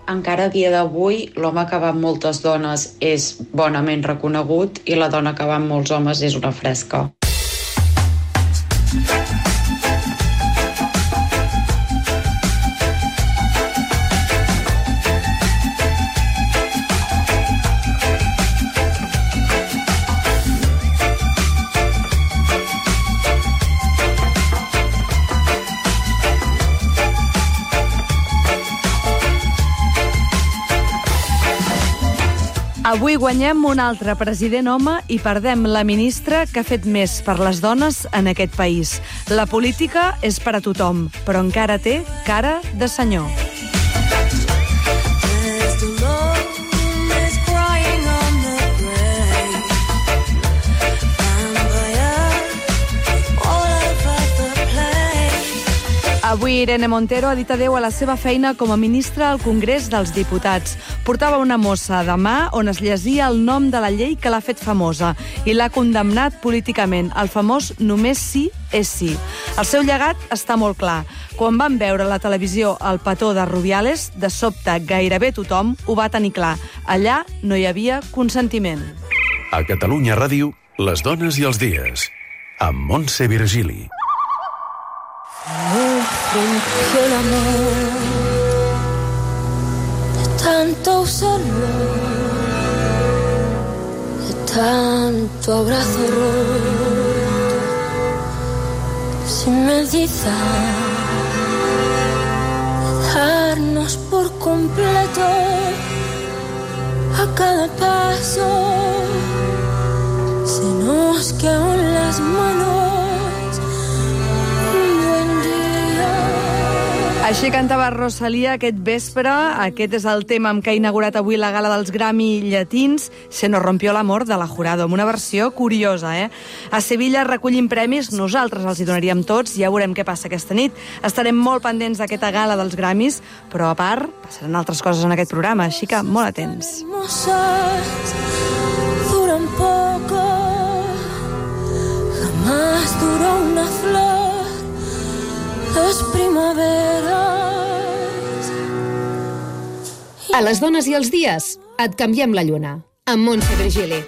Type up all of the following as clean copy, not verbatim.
encara a dia d'avui l'home que va amb moltes dones és bonament reconegut i la dona que va amb molts homes és una fresca. Avui guanyem un altre president home i perdem la ministra que ha fet més per les dones en aquest país. La política és per a tothom, però encara té cara de senyor. Avui Irene Montero ha dit adéu a la seva feina com a ministra al Congrés dels Diputats. Portava una mossa de mà on es llegia el nom de la llei que l'ha fet famosa i l'ha condemnat políticament, el famós només sí és sí. El seu llegat està molt clar. Quan van veure a la televisió el petó de Rubiales, de sobte gairebé tothom ho va tenir clar. Allà no hi havia consentiment. A Catalunya Ràdio, les dones i els dies, amb Montse Virgili. Fingió el amor de tanto usarlo, de tanto abrazo roto, sin medida, de darnos por completo a cada paso. Se nos quedó en las manos. Així cantava Rosalía aquest vespre. Aquest és el tema amb què ha inaugurat avui la gala dels Grammy llatins. Se nos rompió l'amor de la Jurado, amb una versió curiosa, A Sevilla recollim premis, nosaltres els hi donaríem tots, ja veurem què passa aquesta nit. Estarem molt pendents d'aquesta gala dels Grammys, però a part passaran altres coses en aquest programa, així que molt atents. Duran poco, jamás duró una flor. Les primaveres. A les dones i els dies, et canviem la lluna. Amb Montse Virgili.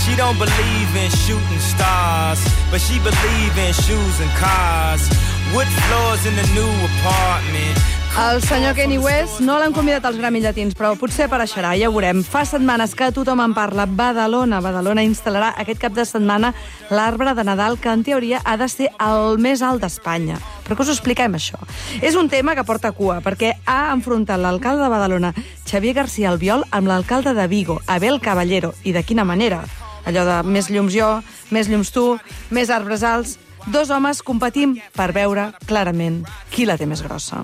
She don't believe in shooting stars, but she believe in shoes and cars. Wood floors in the new apartment. El senyor Kanye West no l'han convidat als Grammy Llatins, però potser apareixerà, ja ho veurem. Fa setmanes que tothom en parla. Badalona instal·larà aquest cap de setmana l'arbre de Nadal, que en teoria ha de ser el més alt d'Espanya. Però que us expliquem això? És un tema que porta cua, perquè ha enfrontat l'alcalde de Badalona, Xavier García Albiol, amb l'alcalde de Vigo, Abel Caballero. I de quina manera? Allò de més llums jo, més llums tu, més arbres alts. Dos homes competim per veure clarament qui la té més grossa.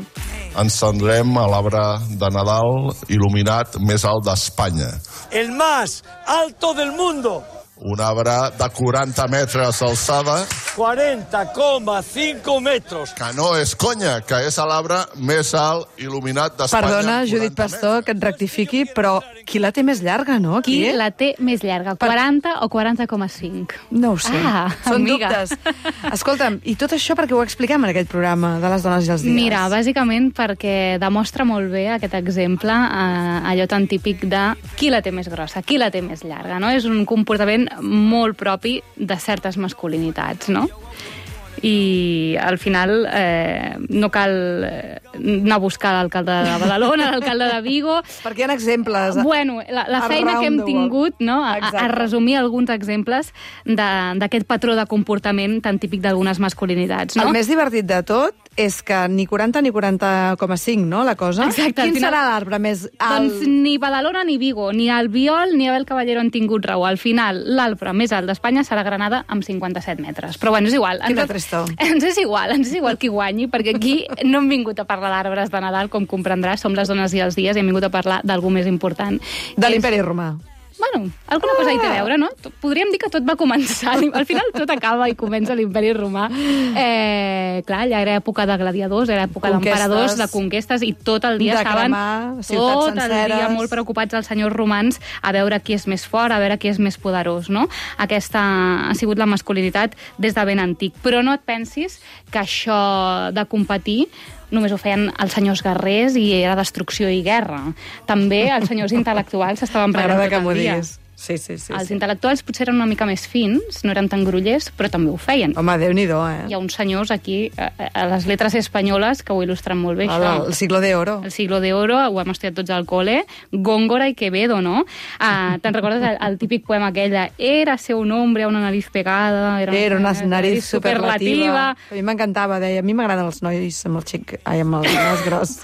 Encendrem l'arbre de Nadal il·luminat més alt d'Espanya. El más alto del mundo. Un arbre de 40 metres d'alçada. 40,5 metros. Que no és conya, que és l'arbre més alt il·luminat d'Espanya. Perdona, Judit Pastor, que et rectifiqui, però qui la té més llarga, no? Qui la té més llarga, 40 o 40,5? No ho sé, són amiga. dubtes. Escolta'm, i tot això per què ho expliquem en aquest programa de les dones i els dies? Mira, bàsicament perquè demostra molt bé aquest exemple, allò tan típic de qui la té més grossa, qui la té més llarga, no? És un comportament molt propi de certes masculinitats, no? I al final no cal anar a buscar l'alcalde de Badalona, l'alcalde de Vigo. Perquè hi ha exemples. Bueno, la feina que hem tingut, no? A resumir alguns exemples d'aquest patró de comportament tan típic d'algunes masculinitats, no? El més divertit de tot és que ni 40 ni 40,5, no, la cosa? Exacte. Quin serà l'arbre més alt? Doncs ni Badalona ni Vigo, ni Albiol ni Abel Caballero han tingut raó. Al final, l'arbre més alt d'Espanya serà Granada amb 57 metres. Però bueno, és igual. Quina tristor. Ens és igual qui guanyi, perquè aquí no hem vingut a parlar d'arbres de Nadal, com comprendràs, som les dones i els dies, i hem vingut a parlar d'algú més important. De l'Imperi Romà. Bueno, alguna cosa hi té a veure, no? Podríem dir que tot va començar. Al final tot acaba i comença l'Imperi Romà. Clar, allà era època de gladiadors, era època d'emperadors, de conquestes, i tot el dia estaven tot el dia molt preocupats els senyors romans a veure qui és més fort, a veure qui és més poderós, no? Aquesta ha sigut la masculinitat des de ben antic. Però no et pensis que això de competir només ho feien els senyors guerrers i era destrucció i guerra. També els senyors intel·lectuals estaven preparant tot el dia. Sí. Els intel·lectuals potser eren una mica més fins, no eren tan grollers, però també ho feien. Home, Déu-n'hi-do, eh? Hi ha uns senyors aquí, a les lletres espanyoles, que ho il·lustren molt bé, això. El siglo de oro. El siglo de oro, ho hem estudiat tots al col·le. Góngora i Quevedo, no? Te'n recordes el típic poema aquell de Érase un hombre a una nariz pegada... Era una nariz superlativa. A mi m'encantava, deia, a mi m'agraden els nois amb el xic... Ai, amb el nas gros.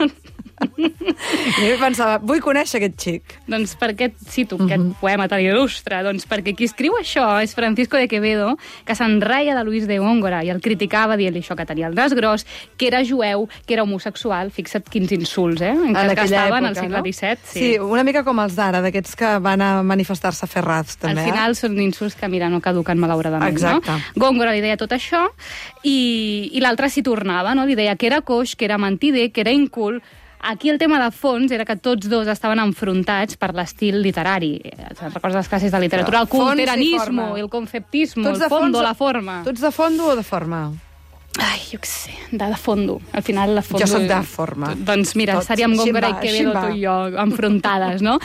I jo pensava, vull conèixer aquest xic. Doncs per què cito aquest poema tan il·lustre? Doncs perquè qui escriu això és Francisco de Quevedo, que s'enreia de Luis de Góngora i el criticava dient-li això, que tenia el nas gros, que era jueu, que era homosexual. Fixa't quins insults, en què estaven al segle XVII. Sí, una mica com els d'ara, d'aquests que van a manifestar-se ferrats, també. Al final són insults que, mira, no caduquen malauradament. Exacte. No? Góngora li deia tot això i l'altre s'hi tornava, no? Li deia que era coix, que era mentider, que era incul. Aquí el tema de fons era que tots dos estaven enfrontats per l'estil literari. Recordes les classes de literatura? El culteranismo, el conceptismo, el fondo, la forma. Tu ets de fondo o de forma? Ai, jo què sé, de fondo. Al final, la fondo... Jo soc de forma. Doncs mira, estaríem Góngora i Quevedo, tu i jo, enfrontades, no?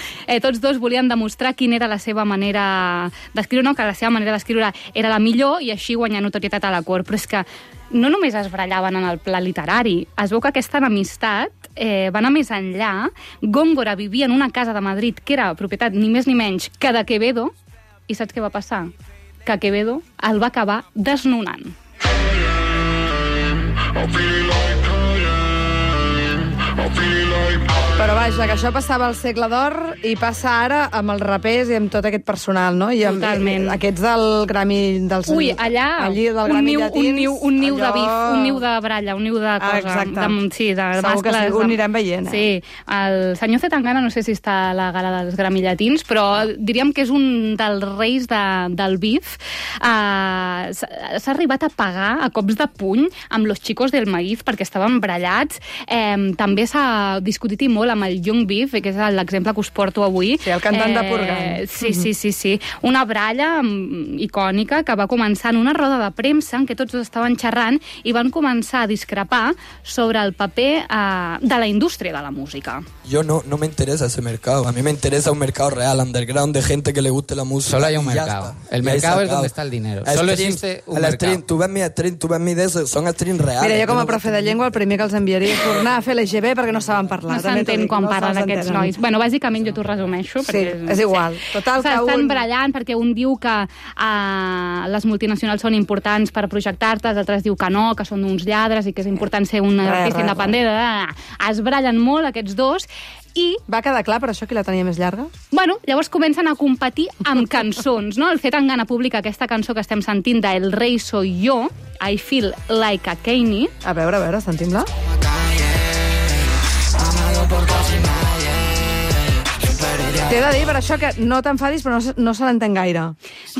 Tots dos volien demostrar quina era la seva manera d'escriure, no? Que la seva manera d'escriure era la millor i així guanyar notorietat a la cort. Però és que no només es barallaven en el pla literari, es veu que aquesta enemistat va anar més enllà. Góngora vivia en una casa de Madrid que era propietat ni més ni menys que de Quevedo, i saps què va passar? Que Quevedo el va acabar desnonant. Però vaja, que això passava al segle d'or i passa ara amb els rapers i amb tot aquest personal, no? I amb totalment. Aquests del Grammy... Ui, allà, un niu de bif, un niu de bralla, un niu de cosa. Exacte. Sí, de segur que sí, ho anirem veient. Sí, el senyor Zetangana, no sé si està a la gala dels Grammy llatins, però diríem que és un dels reis del bif. S'ha arribat a pagar a cops de puny amb los chicos del maíz perquè estaven brallats. També s'ha discutit i molt amb el Young Beef, que és l'exemple que us porto avui. Sí, el cantant de Purgan. Sí. Una bralla icònica que va començar en una roda de premsa en què tots estaven xerrant i van començar a discrepar sobre el paper de la indústria de la música. Yo no me interesa ese mercado. A mí me interesa un mercado real, underground, de gente que le guste la música. Solo hay un mercado. El mercado es donde está el dinero. Solo existe un mercado. Tu ves mi stream, tu ves mi de eso, son streams reales. Mira, jo com a profe de llengua el primer que els enviaria és tornar a fer l'EGB perquè no saben parlar. No s'entén quan parlen aquests nois. Bueno, bàsicament jo t'ho resumeixo. Sí, és igual. Total, s'estan brallant perquè un diu que les multinacionals són importants per projectar-te, l'altre diu que no, que són uns lladres i que és important ser un artista independent. Es brallen molt aquests dos. I va quedar clar per això qui la tenia més llarga? Bueno, llavors comencen a competir amb cançons, no? El Zetangana publica aquesta cançó que estem sentint de El rei soy yo, I feel like a Kanye. A veure, sentim-la. T'he de dir per això que no t'enfadis, però no se l'entén gaire.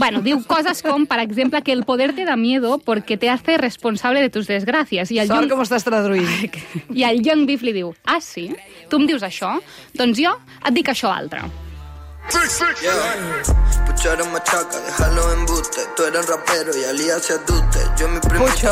Bueno, diu coses com, per exemple, que el poder te da miedo porque te hace responsable de tus desgracias. Sort com estàs traduint. I el Young Beef li diu, ah, sí? Tu em dius això? Doncs jo et dic això altre.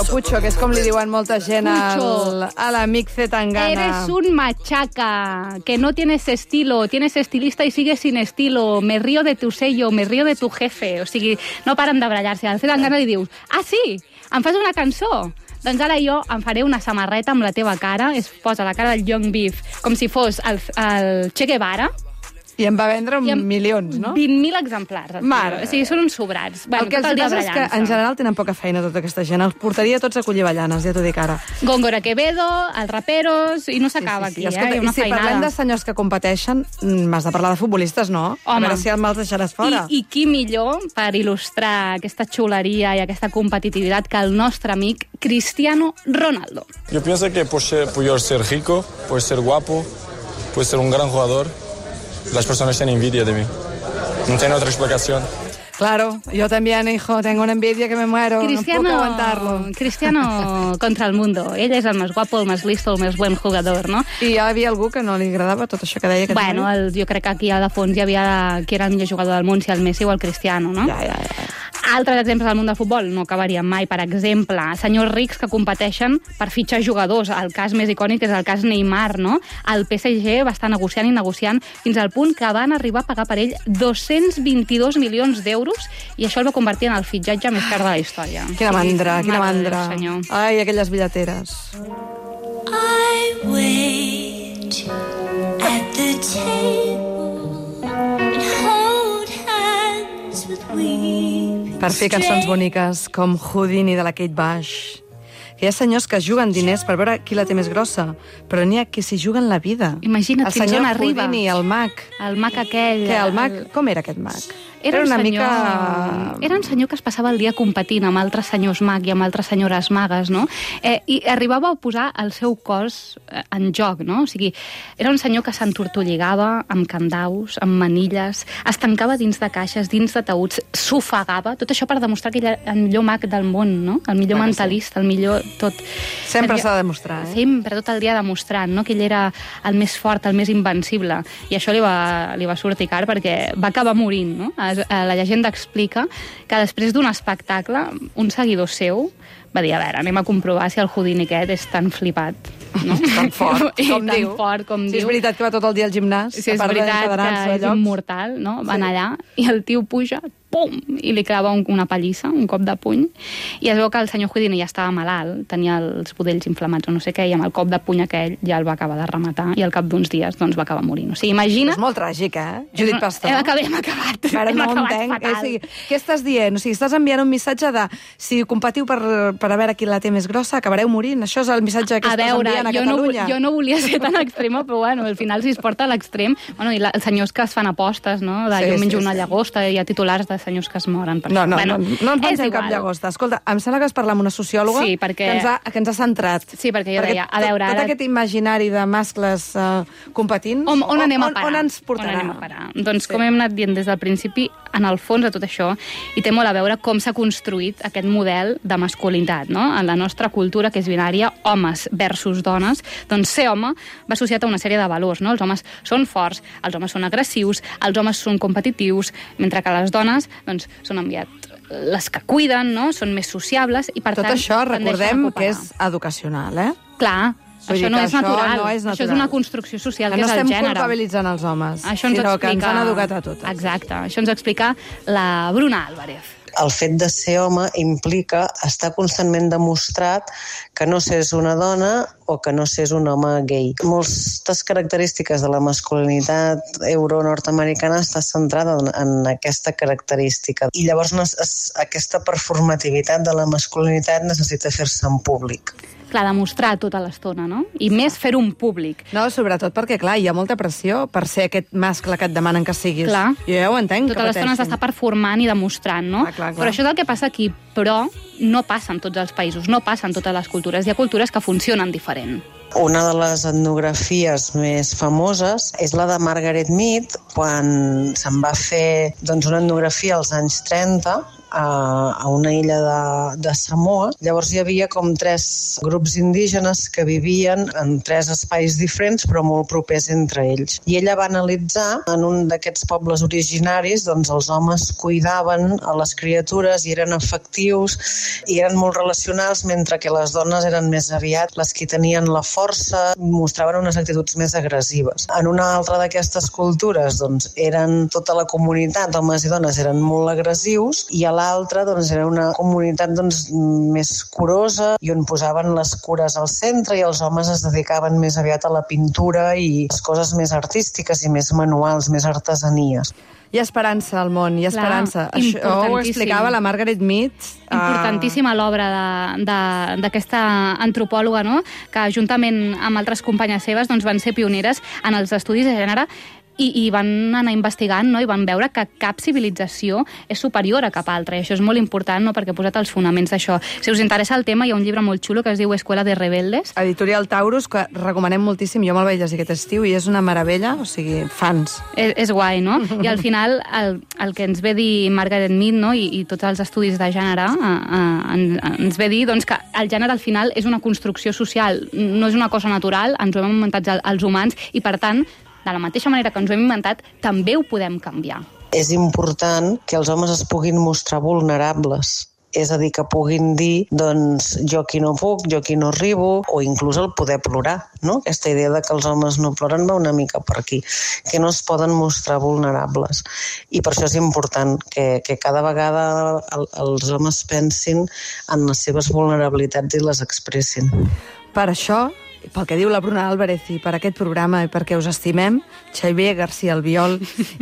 Pucho, que és com li diuen molta gent a l'amic Zetangana. Eres un machaca, que no tienes estilo, tienes estilista y sigues sin estilo, me río de tu sello, me río de tu jefe. O sigui, no paren de brallar-se. Al Zetangana li dius, ah, sí? Em fas una cançó? Doncs ara jo em faré una samarreta amb la teva cara, es posa la cara del Young Beef com si fos el Che Guevara. I en va vendre milions, no? 20.000 exemplars. Mare. O sigui, són uns sobrats. Bueno, el que els passa és que en general tenen poca feina tota aquesta gent. Els portaria tots a collir avellanes, ja t'ho dic ara. Góngora Quevedo, els raperos, i no s'acaba aquí, Escolta, hi ha una si feinada. parlem de senyors que competeixen, m'has de parlar de futbolistes, no? Home. A veure si me'ls deixaràs fora. I qui millor per il·lustrar aquesta xuleria i aquesta competitivitat que el nostre amic Cristiano Ronaldo. Yo pienso que por ser rico, por ser guapo, por ser un gran jugador, las personas tienen envidia de mí. No tiene otra explicación. Claro, yo también, hijo, tengo una envidia que me muero, Cristiano, no puc aguantar-lo. Cristiano contra el mundo. Ell és el més guapo, el més listo, el més buen jugador, no? I hi havia algú que no li agradava tot això que deia aquest Bueno, jo crec que aquí a de fons hi havia qui era el millor jugador del món, si el Messi o el Cristiano, no? Ja. Altres exemples del món del futbol no acabaríem mai. Per exemple, senyors rics que competeixen per fitxar jugadors. El cas més icònic és el cas Neymar, no? El PSG va estar negociant i negociant fins al punt que van arribar a pagar per ell 222 milions d'euros i això el va convertir en el fitxatge més car de la història. Quina mandra, quina mandra. Senyor. Ai, aquelles billeteres. I wait at the table and hold hands with weeping Per fer cançons boniques com Houdini de la Kate Bush. Que hi ha senyors que juguen diners per veure qui la té més grossa, però n'hi ha qui s'hi juguen la vida. Imagina't fins on arriba. El senyor Houdini, el mag. El mag aquell. Que el mag, com era aquest mag? Era una mica... Era un senyor que es passava el dia competint amb altres senyors mag i amb altres senyores magues, no? I arribava a posar el seu cos en joc, no? O sigui, era un senyor que s'entortolligava amb candaus, amb manilles, es tancava dins de caixes, dins de taüts, s'ofegava, tot això per demostrar que ell era el millor mag del món, no? El millor mentalista, el millor tot. Sempre s'ha de demostrar, eh? Sempre, tot el dia demostrant, no? Que ell era el més fort, el més invencible. I això li va sortir car perquè va acabar morint, no? La llegenda explica que després d'un espectacle, un seguidor seu va dir, a veure, anem a comprovar si el Houdini aquest és tan flipat. No? Tan fort, com tan diu. Fort com si diu. és veritat que va tot el dia al gimnàs, si és veritat que és immortal, no? Van allà i el tio puja, pum, i li clava una pallissa, un cop de puny, i es veu que el senyor Houdini ja estava malalt, tenia els budells inflamats o no sé què, i amb el cop de puny aquell ja el va acabar de rematar, i al cap d'uns dies doncs, va acabar morint. O sigui, imagina... És molt tràgic, eh? Judit Pastor. Hem acabat. Ara no ho entenc. Què estàs dient? O sigui, estàs enviant un missatge de si competiu per a veure qui la té més grossa, acabareu morint. Això és el missatge que estàs enviant a Catalunya. Jo no volia ser tan extrema, però bueno, al final si es porta a l'extrem... Bueno, i els senyors que es fan apostes, no? Jo menjo una llagosta, i hi ha titulars de senyors que es moren. No ens pensem cap llagosta. Escolta, em sembla que has parlat amb una sociòloga que ens ha centrat. Sí, perquè jo deia, a veure... Tot aquest imaginari de mascles competint... On anem a parar? On ens portarà? On anem a parar? Doncs, com hem anat dient des del principi, en el fons de tot això, hi té molt a veure com s'ha construït aquest model de masculinitat, no? En la nostra cultura, que és binària, homes versus dones, doncs ser home va associat a una sèrie de valors, no? Els homes són forts, els homes són agressius, els homes són competitius, mentre que les dones doncs, són les que cuiden, no? Són més sociables i per tant... Tot això recordem que és educacional, eh? Clar, això no és natural. Això és una construcció social, que és el gènere. No estem culpabilitzant els homes, sinó que ens han educat a totes. Exacte, això ens explica la Bruna Álvarez. El fet de ser home implica estar constantment demostrat que no s'és una dona o que no s'és un home gay. Moltes característiques de la masculinitat euro-nord-americana està centrada en aquesta característica. I llavors aquesta performativitat de la masculinitat necessita fer-se en públic. Clar, demostrar tota l'estona, no? I més fer-ho en públic. No, sobretot perquè, clar, hi ha molta pressió per ser aquest mascle que et demanen que siguis. Clar. Jo ja ho entenc, tota l'estona s'està performant i demostrant, no? Clar. Però això és el que passa aquí. Però no passa en tots els països, no passa en totes les cultures. Hi ha cultures que funcionen diferent. Una de les etnografies més famoses és la de Margaret Mead, quan se'n va fer una etnografia als anys 30 a una illa de Samoa. Llavors hi havia com 3 grups indígenes que vivien en 3 espais diferents però molt propers entre ells. I ella va analitzar en un d'aquests pobles originaris els homes cuidaven a les criatures i eren afectius i eren molt relacionals, mentre que les dones eren més aviat les que tenien la força, mostraven unes actituds més agressives. En una altra d'aquestes cultures eren tota la comunitat, homes i dones eren molt agressius, i a l'altra era una comunitat més curosa i on posaven les cures al centre i els homes es dedicaven més aviat a la pintura i les coses més artístiques i més manuals, més artesanies. Hi ha esperança al món, hi ha esperança. Això ho explicava la Margaret Mead. Importantíssima l'obra d'aquesta antropòloga, no? Que juntament amb altres companyes seves van ser pioneres en els estudis de gènere i van anar investigant, no? I van veure que cap civilització és superior a cap altra, i això és molt important, no? Perquè ha posat els fonaments d'això. Si us interessa el tema, hi ha un llibre molt xulo que es diu Escuela de Rebeldes. Editorial Taurus, que recomanem moltíssim, jo me'l vaig llegir aquest estiu i és una meravella, o sigui, fans. És guai, no? I al final el que ens ve dir Margaret Mead, no? I tots els estudis de gènere ens ve dir doncs, que el gènere al final és una construcció social, no és una cosa natural, ens ho hem inventat els humans i per tant, de la mateixa manera que ens ho hem inventat, també ho podem canviar. És important que els homes es puguin mostrar vulnerables. És a dir, que puguin dir, doncs, jo aquí no puc, jo aquí no arribo, o inclús el poder plorar, no? Aquesta idea de que els homes no ploren va una mica per aquí, que no es poden mostrar vulnerables. I per això és important que cada vegada els homes pensin en les seves vulnerabilitats i les expressin. Per això, pel que diu la Bruna Álvarez i per aquest programa i perquè us estimem, Xavier García Albiol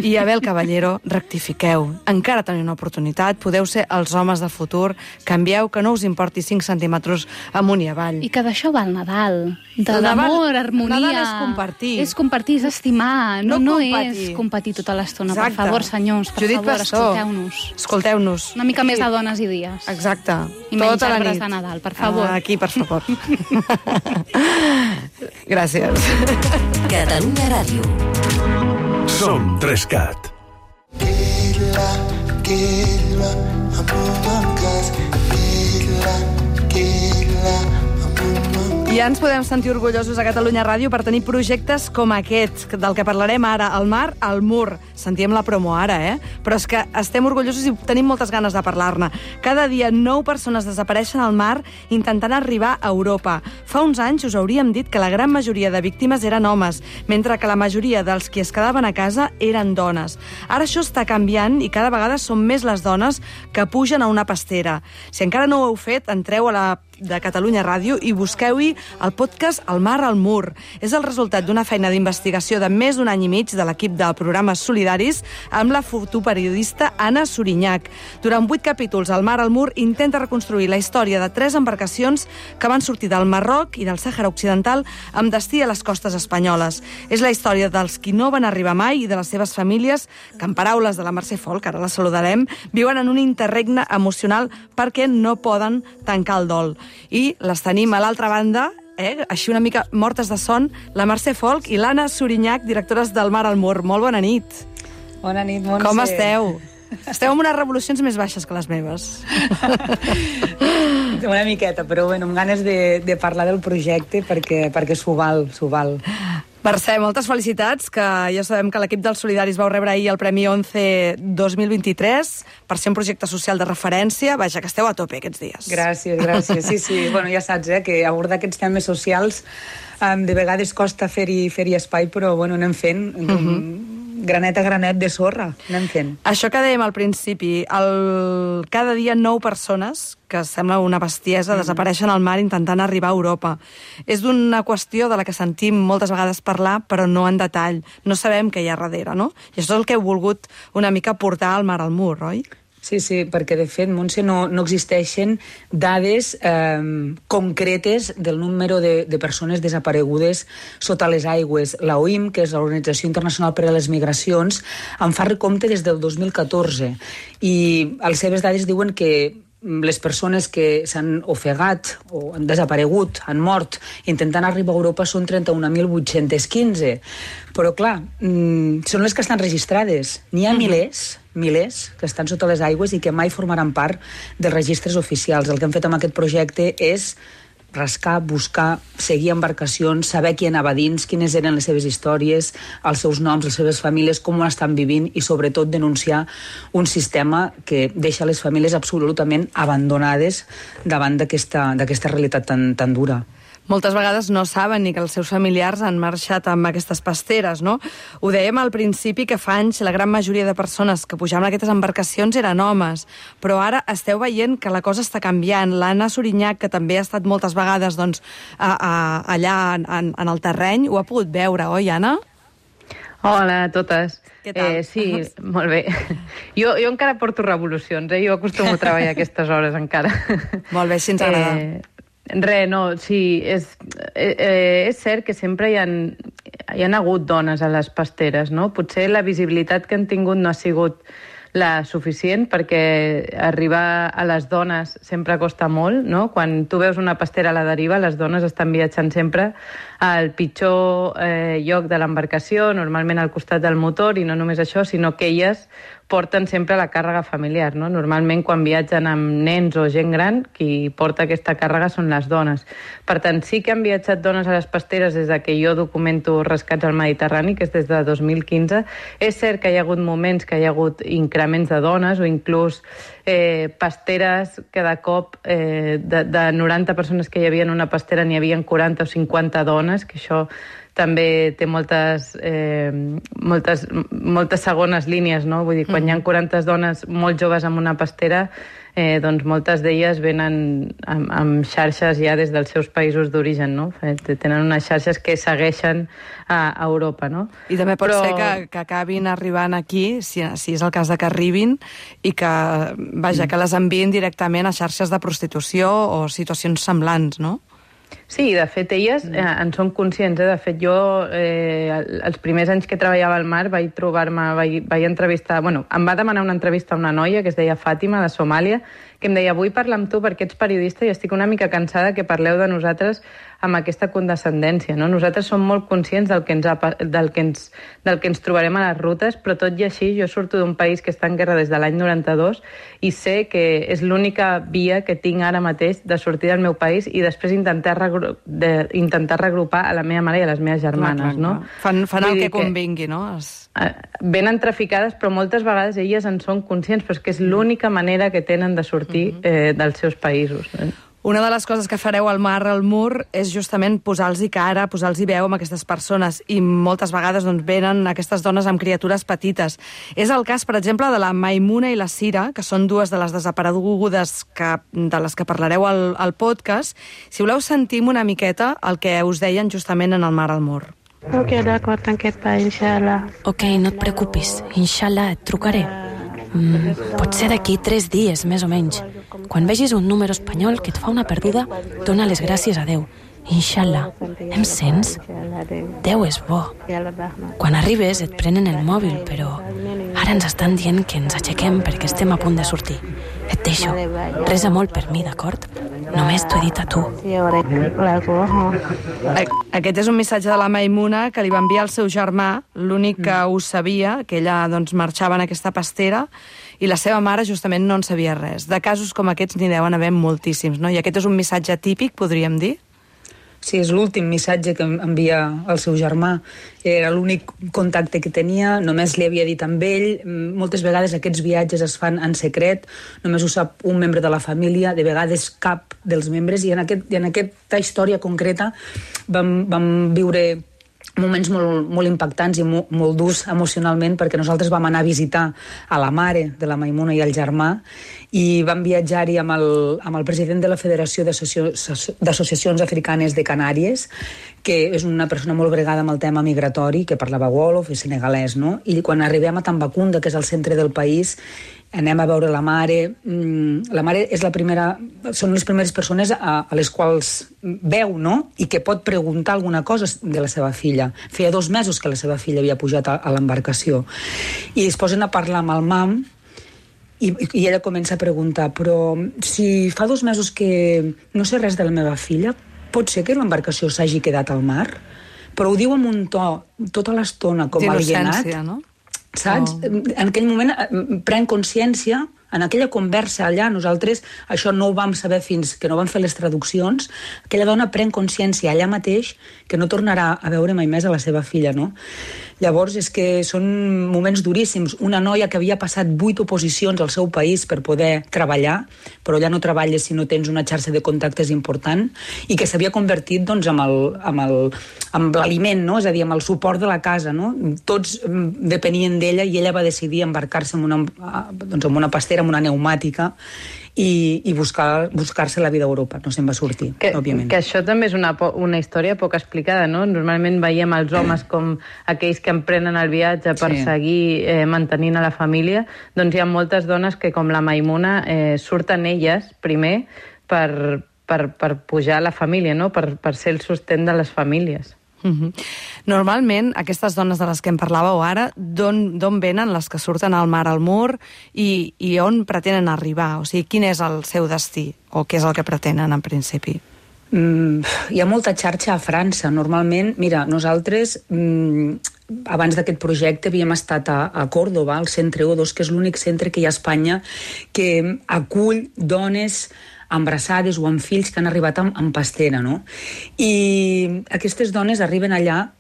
i Abel Caballero, rectifiqueu. Encara teniu una oportunitat, podeu ser els homes del futur, canvieu, que no us importi 5 centímetres amunt i avall. I que d'això va el Nadal, d'amor, harmonia. Nadal és compartir. És compartir, és estimar, no és competir tota l'estona. Per favor, senyors, per favor, escolteu-nos. Escolteu-nos. Una mica més de dones i dies. Exacte. I menys arbres de Nadal, per favor. Aquí, per favor. Gràcies. Catalunya Ràdio. Som 3CAT. Ja ens podem sentir orgullosos a Catalunya Ràdio per tenir projectes com aquest, del que parlarem ara, al mar, al mur. Sentíem la promo ara, Però és que estem orgullosos i tenim moltes ganes de parlar-ne. Cada dia 9 persones desapareixen al mar intentant arribar a Europa. Fa uns anys us hauríem dit que la gran majoria de víctimes eren homes, mentre que la majoria dels qui es quedaven a casa eren dones. Ara això està canviant i cada vegada són més les dones que pugen a una pastera. Si encara no ho heu fet, entreu a la de Catalunya Ràdio i busqueu-hi el podcast El mar al mur. És el resultat d'una feina d'investigació de més d'un any i mig de l'equip del programa Solidaris amb la fotoperiodista Anna Surinyach. Durant 8 capítols, El mar al mur intenta reconstruir la història de 3 embarcacions que van sortir del Marroc i del Sàhara Occidental amb destí a les costes espanyoles. És la història dels qui no van arribar mai i de les seves famílies que, en paraules de la Mercè Folk, ara la saludarem, viuen en un interregne emocional perquè no poden tancar el dol. I les tenim a l'altra banda, així una mica mortes de son, la Mercè Folk i l'Anna Surinyach, directores del Mar al Mur. Molt bona nit. Bona nit, Montse. Com esteu? Esteu amb unes revolucions més baixes que les meves. Una miqueta, però bueno, amb ganes de parlar del projecte perquè s'ho val. Mercè, moltes felicitats, que ja sabem que l'equip dels Solidaris vau rebre ahir el Premi 11 2023 per ser un projecte social de referència. Vaja, que esteu a tope aquests dies. Gràcies. Sí, bueno, ja saps, que abordar aquests temes socials de vegades costa fer-hi espai, però bueno, anem fent granet a granet de sorra, anem fent. Això que dèiem al principi, cada dia 9 persones, que sembla una bestiesa, desapareixen al mar intentant arribar a Europa. És d'una qüestió de la que sentim moltes vegades parlar, però no en detall. No sabem què hi ha darrere, no? I això és el que heu volgut una mica portar al Mar al Mur, oi? Sí, perquè de fet, Montse, no existeixen dades concretes del número de persones desaparegudes sota les aigües. La OIM, que és l'Organització Internacional per a les Migracions, en fa recompte des del 2014 i les seves dades diuen que les persones que s'han ofegat o han desaparegut, han mort, intentant arribar a Europa són 31.815. Però, clar, són les que estan registrades. N'hi ha milers que estan sota les aigües i que mai formaran part dels registres oficials. El que hem fet amb aquest projecte és rascar, buscar, seguir embarcacions, saber qui anava dins, quines eren les seves històries, els seus noms, les seves famílies, com ho estan vivint i, sobretot, denunciar un sistema que deixa les famílies absolutament abandonades davant d'aquesta realitat tan dura. Moltes vegades no saben ni que els seus familiars han marxat amb aquestes pasteres, no? Ho dèiem al principi que fa anys la gran majoria de persones que pujaven a aquestes embarcacions eren homes, però ara esteu veient que la cosa està canviant. L'Anna Surinyach, que també ha estat moltes vegades allà en el terreny, ho ha pogut veure, oi, Anna? Hola a totes. Què tal? Sí, molt bé. Jo encara porto revolucions, jo acostumo a treballar a aquestes hores encara. Molt bé, així ens agrada. No, sí, és cert que sempre hi ha hi ha hagut dones a les pasteres, no? Potser la visibilitat que han tingut no ha sigut la suficient, perquè arribar a les dones sempre costa molt, no? Quan tu veus una pastera a la deriva, les dones estan viatjant sempre al pitjor lloc de l'embarcació, normalment al costat del motor, i no només això, sinó que elles porten sempre la càrrega familiar, no? Normalment, quan viatgen amb nens o gent gran, qui porta aquesta càrrega són les dones. Per tant, sí que han viatjat dones a les pasteres des de que jo documento rescats al Mediterrani, que és des de 2015. És cert que hi ha hagut moments que hi ha hagut increments de dones, o inclús pasteres que de cop de 90 persones que hi havia en una pastera n'hi havia 40 o 50 dones, que això també té moltes segones línies, no? Vull dir, quan hi ha 40 dones molt joves en una pastera, doncs moltes d'elles venen amb xarxes ja des dels seus països d'origen, no? Tenen unes xarxes que segueixen a Europa, no? I també pot ser que acabin arribant aquí, si és el cas de que arribin, i que, vaja, que les enviïn directament a xarxes de prostitució o situacions semblants, no? Sí, de fet, elles en són conscients. De fet, jo, els primers anys que treballava al mar, vaig entrevistar... Bueno, em va demanar una entrevista a una noia que es deia Fàtima, de Somàlia, que em deia, vull parlar amb tu perquè ets periodista i estic una mica cansada que parleu de nosaltres amb aquesta condescendència, no? Nosaltres som molt conscients del que ens trobarem a les rutes, però tot i així jo surto d'un país que està en guerra des de l'any 92 i sé que és l'única via que tinc ara mateix de sortir del meu país i després intentar regrupar a la meva mare i a les meves germanes, no? Fan el que convingui, no? Venen traficades, però moltes vegades elles en són conscients, però és que és l'única manera que tenen de sortir dels seus països. Una de les coses que fareu al Mar al Mur és justament posar-los cara, posar-los veu amb aquestes persones, i moltes vegades doncs, venen aquestes dones amb criatures petites. És el cas, per exemple, de la Maimuna i la Sira, que són dues de les desaparegudes de les que parlareu al podcast. Si voleu, sentim una miqueta el que us deien justament en el Mar al Mur. Ok, d'acord, tanquet pa, inshallah. Ok, no et preocupis, inshallah, et trucaré. Pot ser d'aquí 3 dies, més o menys. Quan vegis un número espanyol que et fa una perduda, dona les gràcies a Déu. Inshallah. Em sents? Déu és bo. Quan arribes et prenen el mòbil, però ara ens estan dient que ens aixequem perquè estem a punt de sortir. Et deixo. Resa molt per mi, d'acord? Només t'ho he dit a tu. Aquest és un missatge de la Maimuna que li va enviar el seu germà, l'únic que ho sabia, que ella doncs, marxava en aquesta pastera, i la seva mare justament no en sabia res. De casos com aquests n'hi deuen haver moltíssims, no? I aquest és un missatge típic, podríem dir? Sí, és l'últim missatge que envia el seu germà. Era l'únic contacte que tenia, només li havia dit amb ell. Moltes vegades aquests viatges es fan en secret, només ho sap un membre de la família, de vegades cap dels membres, i en aquesta història concreta vam viure moments molt impactants i molt durs emocionalment, perquè nosaltres vam anar a visitar a la mare de la Maimuna i el germà, i vam viatjar-hi amb el president de la Federació d'Associacions Africanes de Canàries, que és una persona molt bregada amb el tema migratori, que parlava wolof i senegalès, no? I quan arribem a Tambacounda, que és el centre del país, anem a veure la mare. La mare és són les primeres persones a les quals veu, no? I que pot preguntar alguna cosa de la seva filla. Feia 2 mesos que la seva filla havia pujat a l'embarcació. I es posen a parlar amb el mam, i ella comença a preguntar, però si fa 2 mesos que no sé res de la meva filla, pot ser que l'embarcació s'hagi quedat al mar? Però ho diu amb un to tota l'estona com alienat. D'innocència, no? Saps? En aquell moment pren consciència, en aquella conversa allà, nosaltres això no ho vam saber fins que no vam fer les traduccions, aquella dona pren consciència allà mateix que no tornarà a veure mai més a la seva filla, no? Llavors és que són moments duríssims. Una noia que havia passat 8 oposicions al seu país per poder treballar, però ja no treballes si no tens una xarxa de contactes important, i que s'havia convertit doncs, amb l'aliment, no? És a dir, amb el suport de la casa, no? Tots depenien d'ella, i ella va decidir embarcar-se en una pastera, en una pneumàtica, i buscar-se la vida a Europa. No se'n va sortir, òbviament. Que això també és una història poc explicada, no? Normalment veiem els homes com aquells que emprenen el viatge per seguir mantenint a la família. Doncs hi ha moltes dones que, com la Maimuna, surten elles primer per pujar a la família, no? Per ser el sostén de les famílies. Normalment, aquestes dones de les que em parlàveu ara, d'on venen les que surten al mar al Mur i on pretenen arribar? O sigui, quin és el seu destí? O què és el que pretenen, en principi? Hi ha molta xarxa a França. Normalment, mira, nosaltres, abans d'aquest projecte, havíem estat a Córdoba, al centre O2, que és l'únic centre que hi ha a Espanya que acull dones embarassades o amb fills que han arribat amb pastera, no? I aquestes dones arriben allà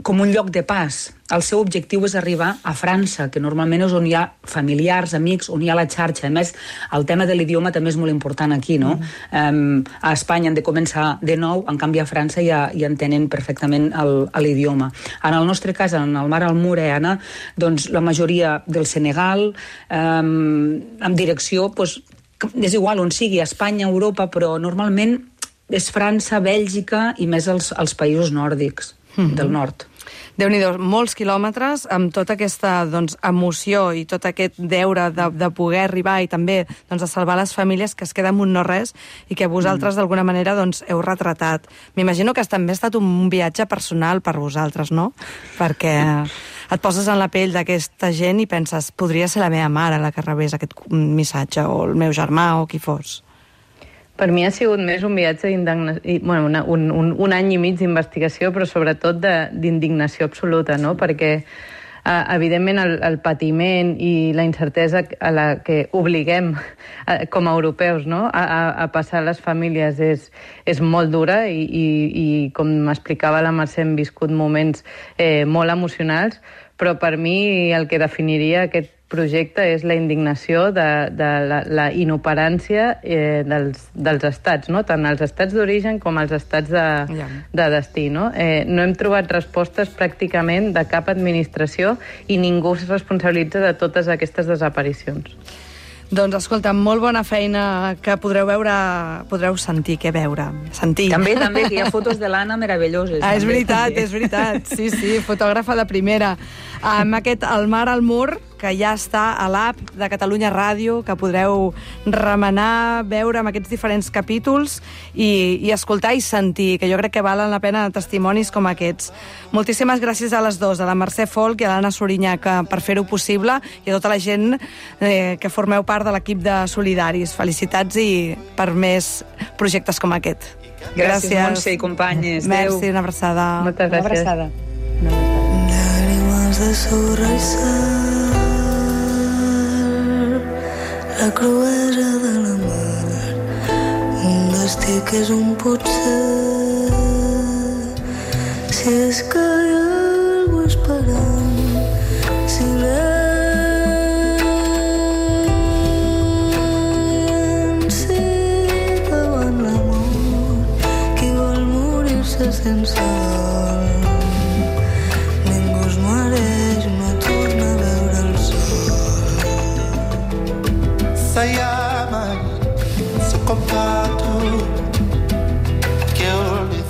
com un lloc de pas. El seu objectiu és arribar a França, que normalment és on hi ha familiars, amics, on hi ha la xarxa. A més, el tema de l'idioma també és molt important aquí, no? A Espanya han de començar de nou, en canvi a França ja entenen perfectament l'idioma. En el nostre cas, en el mar al Mur, Anna, doncs la majoria del Senegal, amb direcció, doncs, és igual on sigui, Espanya, Europa, però normalment és França, Bèlgica i més els països nòrdics del nord. Déu-n'hi-do, molts quilòmetres amb tota aquesta emoció i tot aquest deure de poder arribar i també de salvar les famílies que es queden amb un no-res i que vosaltres d'alguna manera heu retratat. M'imagino que també ha estat un viatge personal per vosaltres, no? Perquè et poses en la pell d'aquesta gent i penses, podria ser la meva mare la que rebés aquest missatge, o el meu germà, o qui fos. Per mi ha sigut més un viatge d'indignació, bueno, un any i mig d'investigació, però sobretot d'indignació absoluta, no? Perquè, evidentment, el patiment i la incertesa a la que obliguem com a europeus, no? a passar les famílies és molt dura i com m'explicava la Mercè, hem viscut moments molt emocionals, però per mi el que definiria aquest projecte és la indignació de la inoperància dels estats, no? Tant els estats d'origen com els estats de destí. No hem trobat respostes pràcticament de cap administració i ningú es responsabilitza de totes aquestes desaparicions. Doncs, escolta, molt bona feina que podreu sentir, sentir. També, que hi ha fotos de l'Anna meravelloses. És veritat, sí, fotògrafa de primera. Amb aquest El mar al Mur, que ja està a l'app de Catalunya Ràdio, que podreu remenar, veure amb aquests diferents capítols i escoltar i sentir, que jo crec que valen la pena testimonis com aquests. Moltíssimes gràcies a les dues, a la Mercè Folch i a l'Anna Sorinyà, per fer-ho possible, i a tota la gent que formeu part de l'equip de Solidaris. Felicitats i per més projectes com aquest. Gràcies, Montse i companyes. Merci, una abraçada. Moltes gràcies. Una abraçada. Lágrimas de su rezar, la cruesa de la mar, un destí que és un potser, si és que hi ha algú esperant, silenci davant l'amor, qui vol morir-se sense dol.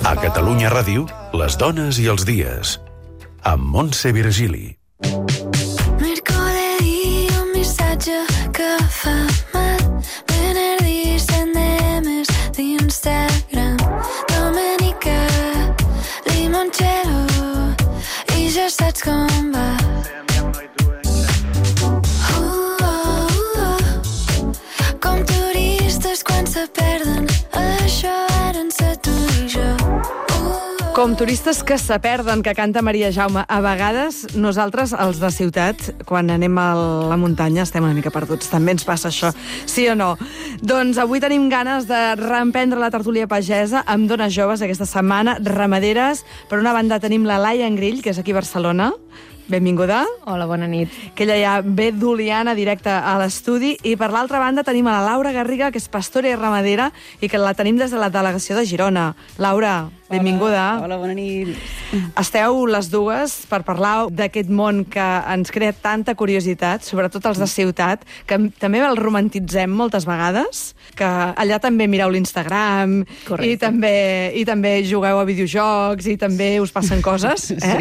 A Catalunya Ràdio, les dones i els dies, amb Montse Virgili. Mercoledì un missatge que fa mal, venerdì 100 DMs d'Instagram, domenica limoncello i ja saps com va. Com turistes quan se perden, això ara en sa tu i jo. Com turistes que se perden, que canta Maria Jaume. A vegades, nosaltres, els de ciutat, quan anem a la muntanya, estem una mica perduts. També ens passa això, sí o no? Doncs avui tenim ganes de reemprendre la tertúlia pagesa amb dones joves aquesta setmana, ramaderes. Per una banda tenim la Laia Engrill, que és aquí a Barcelona. Benvinguda. Hola, bona nit. Que ella ja ve d'Oliana directe a l'estudi. I per l'altra banda tenim a la Laura Garriga, que és pastora i ramadera, i que la tenim des de la delegació de Girona. Laura, benvinguda. Hola, bona nit. Esteu les dues per parlar d'aquest món que ens crea tanta curiositat, sobretot els de ciutat, que també el romantitzem moltes vegades, que allà també mireu l'Instagram, i també jugueu a videojocs, i també us passen coses, Sí.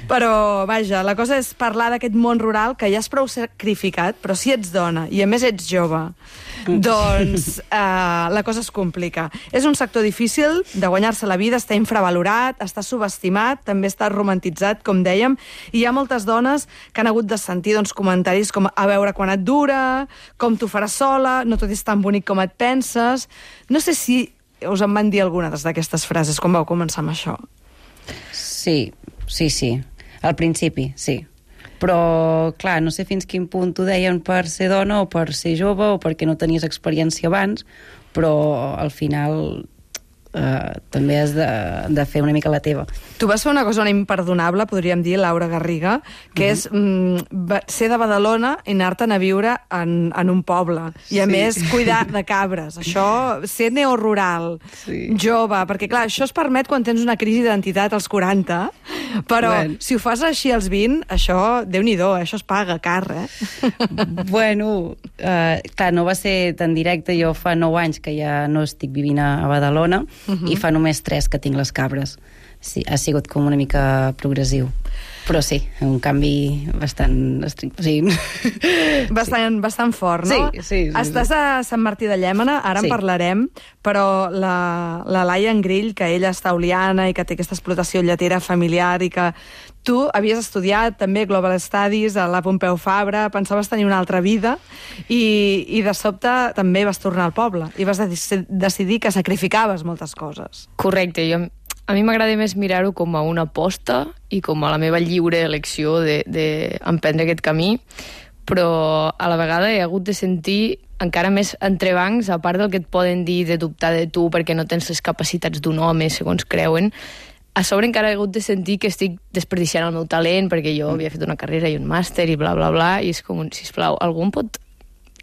Però, vaja, la cosa és parlar d'aquest món rural que ja és prou sacrificat, però si ets dona i a més ets jove, Doncs la cosa es complica. És un sector difícil de guanyar-se la vida, està infravalorat, està subestimat, també està romantitzat, com dèiem, i hi ha moltes dones que han hagut de sentir comentaris com a veure quan et dura, com t'ho faràs sola, no tot és tan bonic com et penses. No sé si us en van dir alguna d'aquestes frases quan vau començar amb això. Sí. Al principi, sí. Però, clar, no sé fins quin punt t'ho deien per ser dona o per ser jove o perquè no tenies experiència abans, però al final també has de fer una mica la teva. Tu vas fer una cosa imperdonable, podríem dir, Laura Garriga, que és ser de Badalona i anar-te'n a viure en un poble. I a més, cuidar de cabres. Això, ser neorural, jove, perquè clar, això es permet quan tens una crisi d'identitat als 40, però si ho fas així als 20, això, Déu-n'hi-do, això es paga car, Bueno, clar, no va ser tan directe. Jo fa 9 anys que ja no estic vivint a Badalona, i fa només 3 que tinc les cabres. Sí, ha sigut com una mica progressiu. Però sí, un canvi bastant estricte. Sí. Bastant fort, no? Sí. Estàs a Sant Martí de Llémena, ara en parlarem, però la Laia Engrill, que ella està a Oliana i que té aquesta explotació lletera familiar i que tu havies estudiat també Global Studies a la Pompeu Fabra, pensaves tenir una altra vida i de sobte també vas tornar al poble i vas decidir que sacrificaves moltes coses. Correcte, a mi m'agrada més mirar-ho com a una aposta i com a la meva lliure elecció d'emprendre aquest camí, però a la vegada he hagut de sentir encara més entrebancs, a part del que et poden dir de dubtar de tu perquè no tens les capacitats d'un home, segons creuen. A sobre encara he hagut de sentir que estic desperdiciant el meu talent perquè jo havia fet una carrera i un màster i bla, bla, bla, i és com, sisplau, algú em pot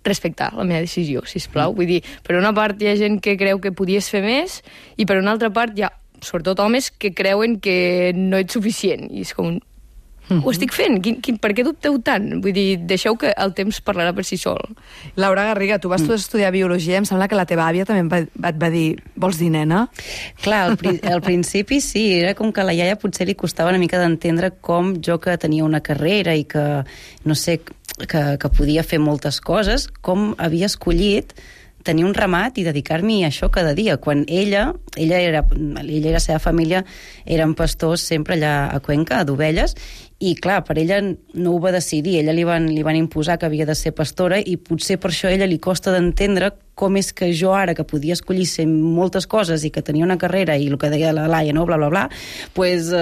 respectar la meva decisió, sisplau? Vull dir, per una part hi ha gent que creu que podies fer més i per una altra part hi ha sobretot homes que creuen que no ets suficient i és com, ho estic fent, per què dubteu tant? Vull dir, deixeu que el temps parlarà per si sol. Laura Garriga, tu vas estudiar biologia, em sembla que la teva àvia també et va dir, vols dir nena? Clar, al principi sí, era com que a la iaia potser li costava una mica d'entendre com jo que tenia una carrera i que, no sé, que podia fer moltes coses, com havia escollit tenir un ramat i dedicar-m'hi a això cada dia, quan ella i la seva família eren pastors sempre allà a Cuenca, d'ovelles, i clar, per ella no ho va decidir, ella li van imposar que havia de ser pastora i potser per això a ella li costa d'entendre com és que jo ara, que podia escollir ser moltes coses i que tenia una carrera i el que deia la Laia, no, bla, bla, bla, pues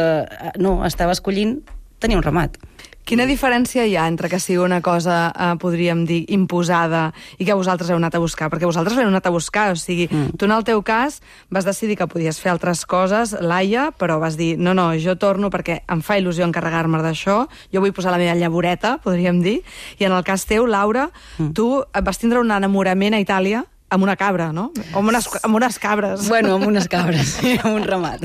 no, estava escollint tenir un ramat. Quina diferència hi ha entre que sigui una cosa, podríem dir, imposada i que vosaltres heu anat a buscar? Perquè vosaltres l'heu anat a buscar, o sigui, tu en el teu cas vas decidir que podies fer altres coses, Laia, però vas dir, no, jo torno perquè em fa il·lusió encarregar-me d'això, jo vull posar la meva llavoreta, podríem dir, i en el cas teu, Laura, tu vas tindre un enamorament a Itàlia amb una cabra, no? Amb unes cabres. Bueno, amb unes cabres, sí, amb un ramat.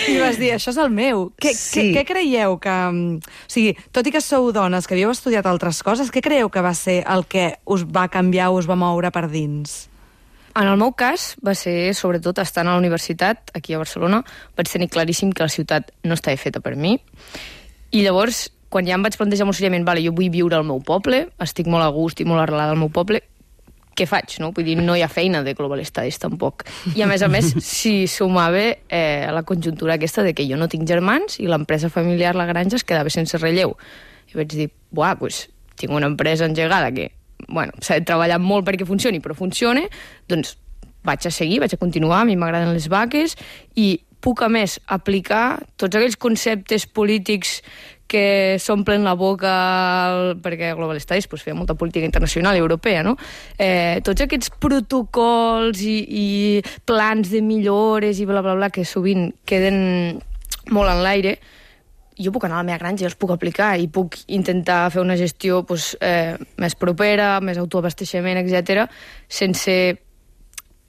I vas dir, això és el meu. Què creieu que... O sigui, tot i que sou dones que havíeu estudiat altres coses, què creieu que va ser el que us va canviar o us va moure per dins? En el meu cas va ser, sobretot, estant a la universitat, aquí a Barcelona, vaig tenir claríssim que la ciutat no estava feta per mi. I llavors, quan ja em vaig plantejar molt seriament, vale, jo vull viure al meu poble, estic molt a gust i molt arrelada al meu poble, què faig, no? Vull dir, no hi ha feina de Global Studies, tampoc. I, a més, s'hi sumava la conjuntura aquesta de que jo no tinc germans i l'empresa familiar, la granja, es quedava sense relleu. I vaig dir, doncs, tinc una empresa engegada que, s'ha de treballar molt perquè funcioni, però funciona, doncs vaig a seguir, vaig a continuar, a mi m'agraden les vaques, i puc, a més, aplicar tots aquells conceptes polítics que s'omplen la boca perquè Global Studies feia molta política internacional i europea, no? Tots aquests protocols i plans de millores i bla, bla, bla, que sovint queden molt en l'aire, jo puc anar a la meva granja i els puc aplicar i puc intentar fer una gestió més propera, més autoabasteixement, etc., sense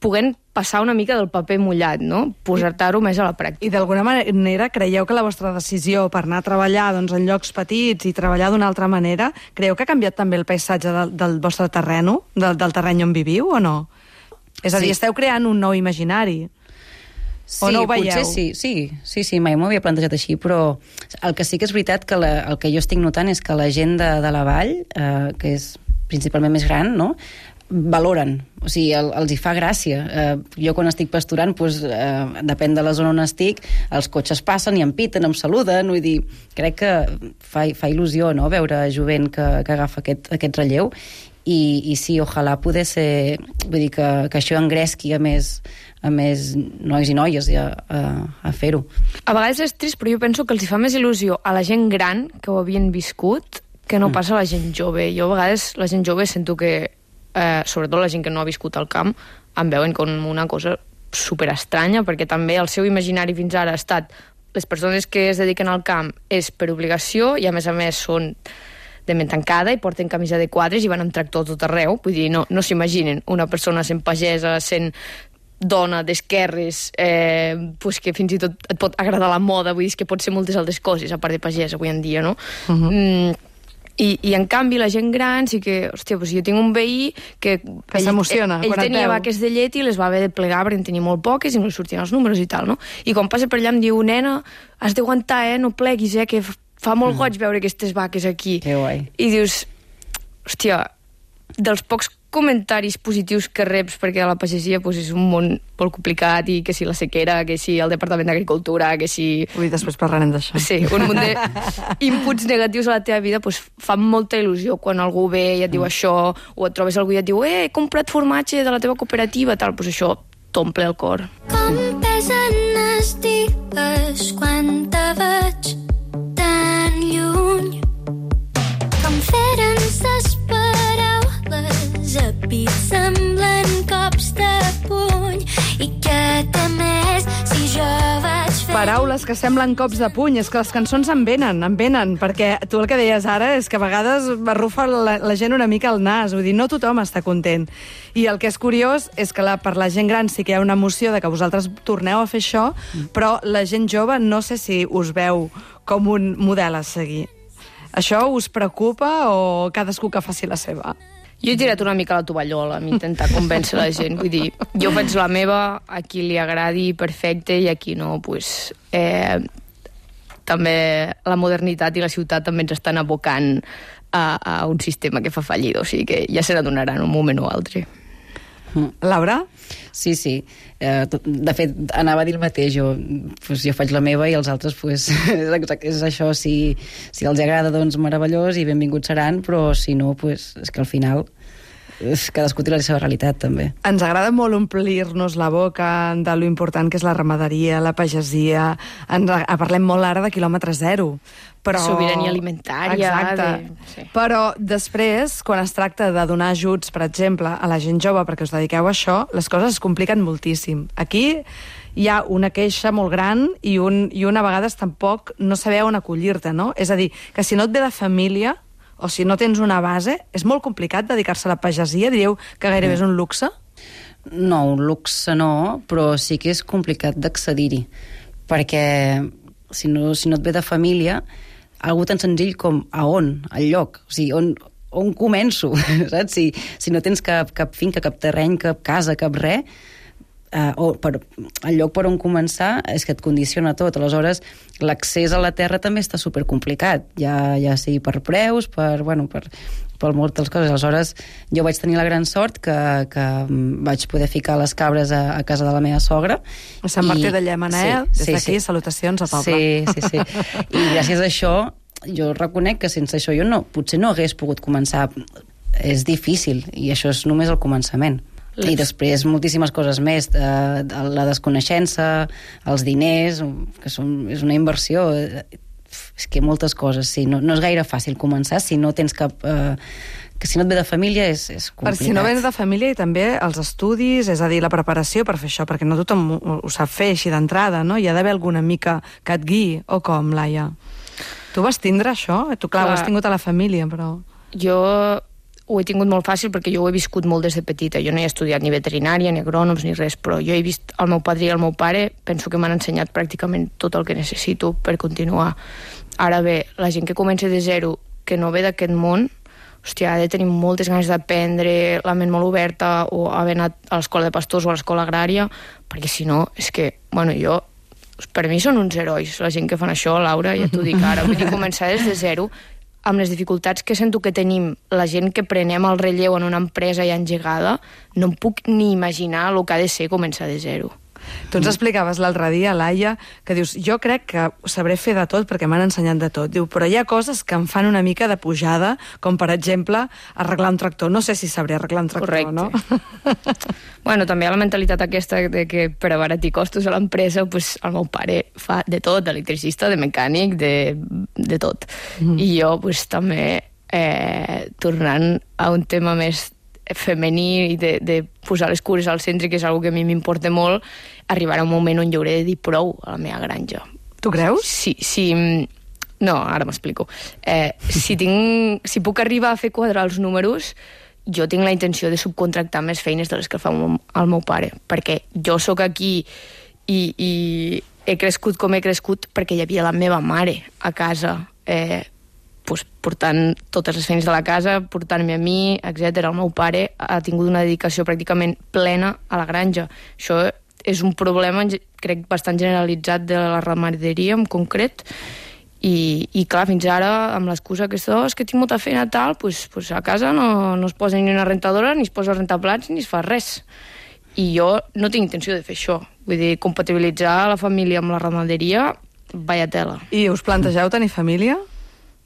poder passar una mica del paper mullat, no? Posar-ho més a la pràctica. I d'alguna manera creieu que la vostra decisió per anar a treballar en llocs petits i treballar d'una altra manera, creieu que ha canviat també el paisatge del vostre terreno, del terreny on viviu o no? És a dir, esteu creant un nou imaginari. Sí, o no ho veieu? Potser sí, mai m'ho havia plantejat així, però el que sí que és veritat que el que jo estic notant és que la gent de la vall, que és principalment més gran, no?, valoren, o sigui, els hi fa gràcia. Jo quan estic pasturant, depèn de la zona on estic, els cotxes passen i em piten, em saluden, vull dir, crec que fa il·lusió, no?, veure jovent que agafa aquest relleu, i sí, ojalà poder ser, vull dir, que això engresqui a més nois i noies a fer-ho. A vegades és trist, però jo penso que els hi fa més il·lusió a la gent gran que ho havien viscut que no passa a la gent jove. Jo a vegades la gent jove sento que sobretot la gent que no ha viscut al camp, em veuen com una cosa superestranya, perquè també el seu imaginari fins ara ha estat les persones que es dediquen al camp és per obligació i a més són de ment tancada i porten camisa de quadres i van amb tractor tot arreu, vull dir, no s'imaginen una persona sent pagesa, sent dona d'esquerres, que fins i tot et pot agradar la moda, vull dir, que pot ser moltes altres coses a part de pagesa avui en dia, no? I en canvi la gent gran sí que, hòstia, jo tinc un veí que s'emociona ell tenia vaques de llet i les va haver de plegar perquè en tenia molt poques i no li sortien els números i tal, no? I quan passa per allà em diu, nena, has d'aguantar, no pleguis, que fa molt goig veure aquestes vaques aquí. Que guai. I dius, hòstia, dels pocs comentaris positius que reps, perquè a la pagesia és un món molt complicat, i que si la sequera, que si el Departament d'Agricultura, que si... Ui, després parlarem d'això. Sí, un munt d'inputs negatius a la teva vida fa molta il·lusió quan algú ve i et diu això, o et trobes algú i et diu he comprat formatge de la teva cooperativa, tal, això t'omple el cor. Com pesen els dies quan te veig tan lluny, com feren ses paraules a pit semblen cops de puny, i que més si jo vaig fer... Paraules que semblen cops de puny, és que les cançons em venen, perquè tu el que deies ara és que a vegades arrufa la gent una mica el nas, vull dir, no tothom està content. I el que és curiós és que per la gent gran sí que hi ha una emoció de que vosaltres torneu a fer això, però la gent jove no sé si us veu com un model a seguir. Això us preocupa o cadascú que faci la seva? Jo he tirat una mica la tovallola a intentar convèncer la gent. Vull dir, jo faig la meva, a qui li agradi, perfecte, i a qui no, també la modernitat i la ciutat també ens estan abocant a un sistema que fa fallida, o sigui que ja se n'adonaran un moment o altre. Laura? Sí. De fet, anava a dir el mateix. Jo faig la meva i els altres, és això. Si els agrada, doncs meravellós i benvinguts seran, però si no, és que al final cadascú té la seva realitat, també. Ens agrada molt omplir-nos la boca de lo important que és la ramaderia, la pagesia. Parlem molt ara de quilòmetre zero. Sobirania alimentària. Exacte. Sí. Però després, quan es tracta de donar ajuts, per exemple, a la gent jove perquè us dediqueu a això, les coses es compliquen moltíssim. Aquí hi ha una queixa molt gran i una vegades tampoc no saber on acollir-te, no? És a dir, que si no et ve de família o si no tens una base, és molt complicat dedicar-se a la pagesia? Diríeu que gairebé és un luxe? No, un luxe no, però sí que és complicat d'accedir-hi, perquè si no et ve de família, algú tan senzill com a on, al lloc, o sigui, on començo, saps? Si no tens cap finca, cap terreny, cap casa, cap res, el lloc per on començar és que et condiciona tot. Aleshores, l'accés a la terra també està supercomplicat, ja sigui per preus, per moltes coses. Aleshores, jo vaig tenir la gran sort que vaig poder ficar les cabres a casa de la meva sogra. A Sant Martí de Llémena, des d'aquí, salutacions al poble. Sí. I gràcies a això, jo reconec que sense això jo potser no hagués pogut començar. És difícil, i això és només el començament. I després moltíssimes coses més, la desconeixença, els diners, que és una inversió, és que moltes coses, sí, no és gaire fàcil començar si no tens cap... que si no et ve de família és complicat. Per si no vens de família, i també els estudis, és a dir, la preparació per fer això, perquè no tothom ho sap fer així d'entrada, no? Hi ha d'haver alguna mica que et guiï, o com, Laia? Tu vas tindre això? Tu, clar, ho has tingut a la família, però... Jo ho he tingut molt fàcil perquè jo ho he viscut molt des de petita. Jo no he estudiat ni veterinària, ni agrònoms, ni res, però jo he vist el meu padrí i el meu pare, penso que m'han ensenyat pràcticament tot el que necessito per continuar. Ara bé, la gent que comença de zero, que no ve d'aquest món, hòstia, ha de tenir moltes ganes d'aprendre, la ment molt oberta, o haver anat a l'escola de pastors o a l'escola agrària, perquè si no, és que, per mi són uns herois, la gent que fan això, Laura, ja t'ho dic ara, vull dir, començar des de zero, amb les dificultats que sento que tenim la gent que prenem el relleu en una empresa ja engegada, no em puc ni imaginar el que ha de ser començar de zero. Tu ens explicaves l'altre dia, Laia, que dius, jo crec que sabré fer de tot perquè m'han ensenyat de tot. Diu, però hi ha coses que em fan una mica de pujada, com per exemple arreglar un tractor. No sé si sabré arreglar un tractor, correcte, no? Bueno, també hi ha la mentalitat aquesta de que per abaratir costos a l'empresa, pues, el meu pare fa de tot, d'electricista, de mecànic, de tot. I jo pues, també, tornant a un tema més femení i de posar les cures al centre, que és una que a mi m'importa molt, arribarà un moment on jo hauré de dir prou a la meva granja. Tu creus? Sí. No, ara m'explico. Si puc arribar a fer quadrar els números, jo tinc la intenció de subcontractar més feines de les que fa el meu pare, perquè jo sóc aquí i he crescut com he crescut perquè hi havia la meva mare a casa, portant totes les feines de la casa, portant-me a mi, etc. El meu pare ha tingut una dedicació pràcticament plena a la granja. Això és un problema, crec, bastant generalitzat de la ramaderia en concret, i clar, fins ara, amb l'excusa que és que tinc molta feina tal, pues a casa no es posa ni una rentadora, ni es posa a rentar plats, ni es fa res. I jo no tinc intenció de fer això. Vull dir, compatibilitzar la família amb la ramaderia, vaya tela. I us plantegeu tenir família?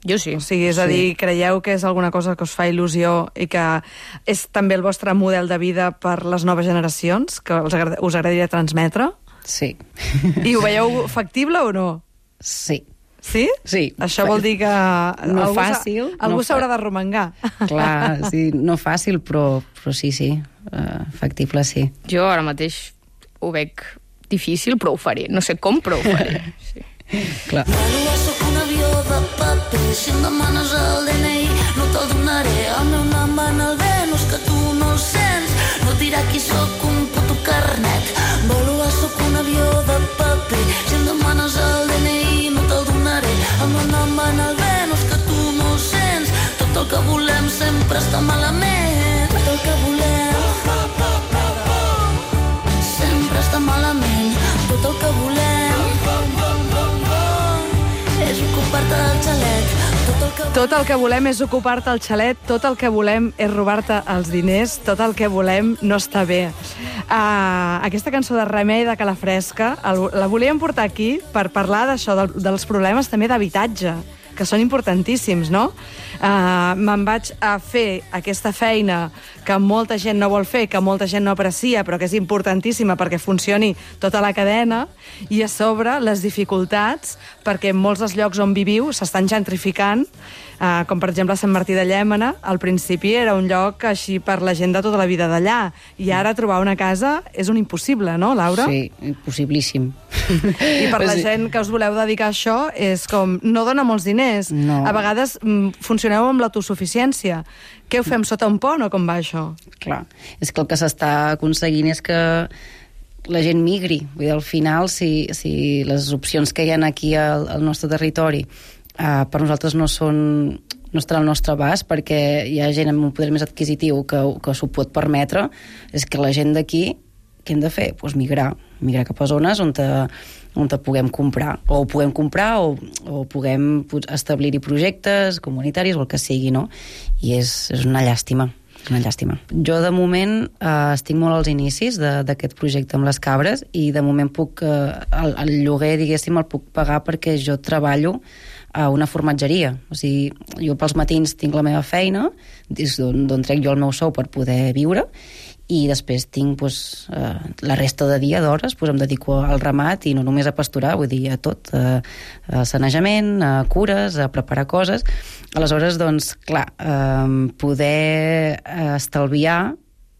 Jo sí. O sigui, és a dir, creieu que és alguna cosa que us fa il·lusió i que és també el vostre model de vida per les noves generacions, que us agradaria transmetre? Sí. I ho veieu factible o no? Sí. Sí? Sí. Això vol dir que no fàcil. Algú s'haurà de romangar. Clar, sí, no fàcil, però sí, factible sí. Jo ara mateix ho veig difícil, però ho faré. No sé com, però ho faré. Sí. Clar. Soc un avió de paper, si em demanes el DNI no te'l donaré, el meu nom va en el Venus que tu no el sents, no et dirà qui sóc un puto carnet. Volo, soc un avió de paper, si em demanes el DNI no te'l donaré, el meu nom va en el Venus que tu no el sents, tot el que volem sempre està malament, tot el que volem sempre està malament, tot el que volem és ocupar-te el xalet. Tot el que volem és ocupar-te el xalet, tot el que volem és robar-te els diners, tot el que volem no està bé. Aquesta cançó de Remei de Calafresca la volíem portar aquí per parlar d'això, dels problemes també d'habitatge, que són importantíssims, no? Me'n vaig a fer aquesta feina que molta gent no vol fer, que molta gent no aprecia, però que és importantíssima perquè funcioni tota la cadena, i a sobre les dificultats, perquè en molts dels llocs on viviu s'estan gentrificant, com per exemple Sant Martí de Llémena, al principi era un lloc així per la gent de tota la vida d'allà, i ara trobar una casa és un impossible, no, Laura? Sí, impossiblíssim. I per la gent que us voleu dedicar a això, és com, no dona molts diners. No. A vegades funcioneu amb l'autosuficiència. Què ho fem, sota un pont o com va això? Clar, és que el que s'està aconseguint és que la gent migri. Vull dir, al final, si les opcions que hi ha aquí al nostre territori per nosaltres no estan al nostre abast, perquè hi ha gent amb un poder més adquisitiu que s'ho pot permetre, és que la gent d'aquí, què hem de fer? Pues migrar cap a zones on puguem comprar, o puguem comprar o puguem establir-hi projectes comunitaris o el que sigui, no? I és una llàstima. Una llàstima. Jo, de moment, estic molt als inicis d'aquest projecte amb les cabres, i de moment el lloguer, diguéssim, el puc pagar perquè jo treballo a una formatgeria. O sigui, jo pels matins tinc la meva feina, d'on trec jo el meu sou per poder viure, i després tinc la resta de dia, d'hores, em dedico al ramat, i no només a pasturar, vull dir, a tot, a sanejament, a cures, a preparar coses. Aleshores, doncs, clar, poder estalviar,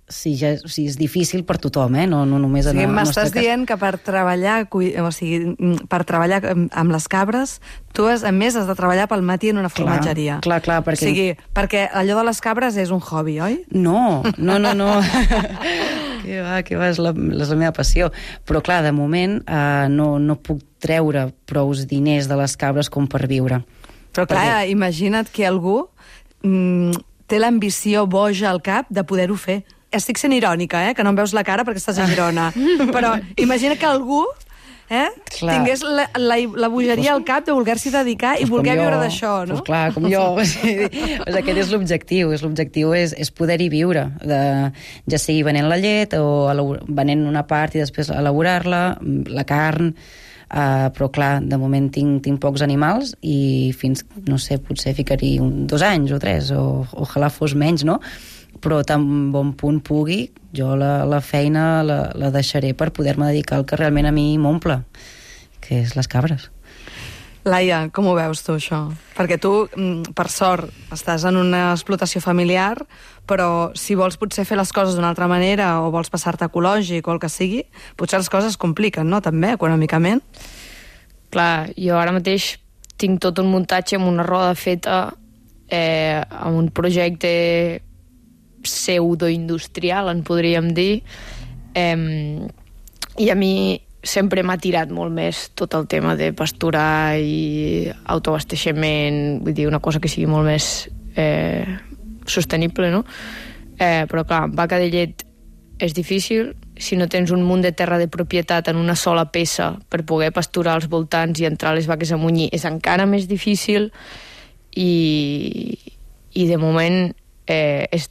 si és difícil per tothom, no només en el nostre cas. M'estàs dient que per treballar amb les cabres, tu a més has de treballar pel matí en una formatgeria. Clar, perquè... O sigui, perquè allò de les cabres és un hobby, oi? No. Que va, és la meva passió. Però clar, de moment no puc treure prous diners de les cabres com per viure. Però clar, imagina't que algú té l'ambició boja al cap de poder-ho fer. Estic sent irònica, que no em veus la cara perquè estàs a Girona. Però imagina que algú tingués la bogeria al cap de voler-s'hi dedicar i voler viure d'això, no? Pues clar, com jo. Aquest és l'objectiu. L'objectiu és poder-hi viure, ja sigui venent la llet o venent una part i després elaborar-la, la carn, però clar, de moment tinc pocs animals i fins, no sé, potser ficaria 2 anys o 3, o ojalà fos menys, no? Però tan bon punt pugui, jo la feina la deixaré per poder-me dedicar al que realment a mi m'omple, que és les cabres. Laia, com ho veus tu, això? Perquè tu, per sort, estàs en una explotació familiar, però si vols potser fer les coses d'una altra manera o vols passar-te ecològic o el que sigui, potser les coses es compliquen, no?, també, econòmicament. Clar, jo ara mateix tinc tot un muntatge amb una roda feta amb un projecte pseudoindustrial, en podríem dir, i a mi sempre m'ha tirat molt més tot el tema de pasturar i autoabasteixement, vull dir, una cosa que sigui molt més sostenible, no? Però clar, amb vaca de llet és difícil, si no tens un munt de terra de propietat en una sola peça per poder pasturar als voltants i entrar les vaques a munyir és encara més difícil i de moment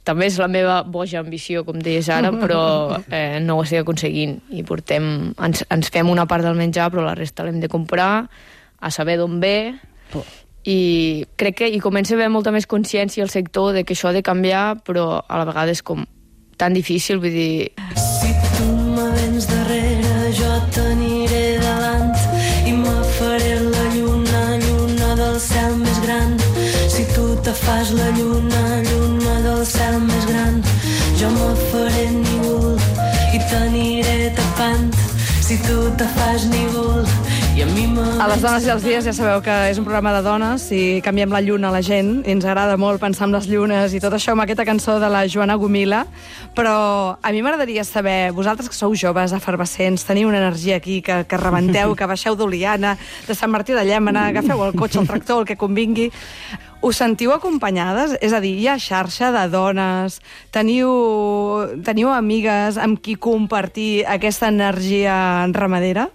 també és la meva boja ambició, com deies ara, però no ho estic aconseguint i ens fem una part del menjar però la resta l'hem de comprar, a saber d'on ve, i crec que hi comença a haver molta més consciència al sector de que això ha de canviar, però a la vegada és com tan difícil, vull dir... Si tu me vens darrere jo t'aniré davant i me faré la lluna del cel més gran. Si tu te fas la lluna del cel més gran, jo me faré nígol i t'aniré tapant. Si tu te fas nígol i a mi me... A les dones i els dies ja sabeu que és un programa de dones i canviem la lluna a la gent i ens agrada molt pensar en les llunes i tot això amb aquesta cançó de la Joana Gomila, però a mi m'agradaria saber, vosaltres que sou joves, efervescents, teniu una energia aquí que rebenteu, que baixeu d'Oliana, de Sant Martí de Llémena, agafeu el cotxe, el tractor, el que convingui, us sentiu acompanyades? És a dir, hi ha xarxa de dones, teniu amigues amb qui compartir aquesta energia ramadera?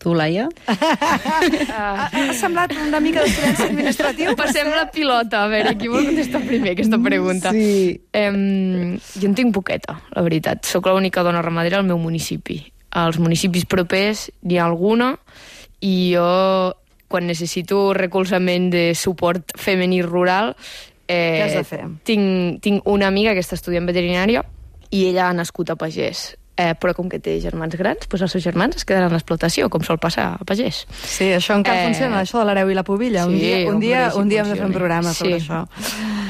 Tu, Laia? Ha semblat una mica de silenci administratiu. Passem la pilota, a veure, qui vol contestar primer aquesta pregunta? Sí. Jo en tinc poqueta, la veritat. Soc l'única dona ramadera al meu municipi. Als municipis propers n'hi ha alguna, i jo, quan necessito recolzament de suport femení rural, què has de fer? Tinc una amiga que està estudiant veterinària i ella ha nascut a pagès. Però com que té germans grans, doncs els seus germans es quedaran a l'explotació, com sol passar a pagès. Sí, això encara funciona, això de l'hereu i la pubilla. Sí, un dia hem de fer un programa sobre això.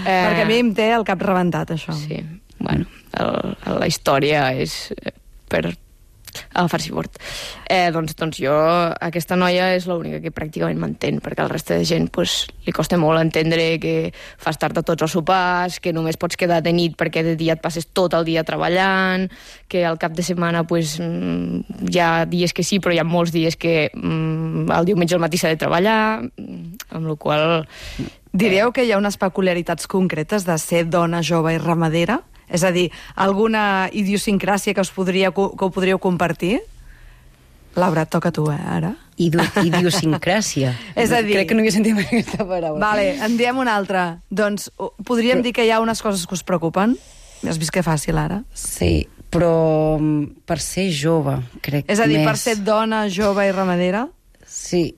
Perquè a mi em té el cap rebentat, això. Sí, bueno, la història és per agafar-s'hi fort. Doncs jo, aquesta noia és l'única que pràcticament m'entén, perquè el resta de gent li costa molt entendre que fas tard a tots els sopars, que només pots quedar de nit perquè de dia et passes tot el dia treballant, que al cap de setmana hi ha dies que sí, però hi ha molts dies que el diumenge al matí s'ha de treballar, amb la qual... Diríeu que hi ha unes peculiaritats concretes de ser dona jove i ramadera? És a dir, alguna idiosincràsia que ho podríeu compartir? Laura, toca a tu, ara. Idiosincràsia. És a dir... Crec que no havia sentit mai aquesta paraula. Vale, en diem una altra. Doncs podríem dir que hi ha unes coses que us preocupen? Has vist que fàcil, ara? Sí, però per ser jove, crec més... És a dir, per ser dona, jove i ramadera? Sí,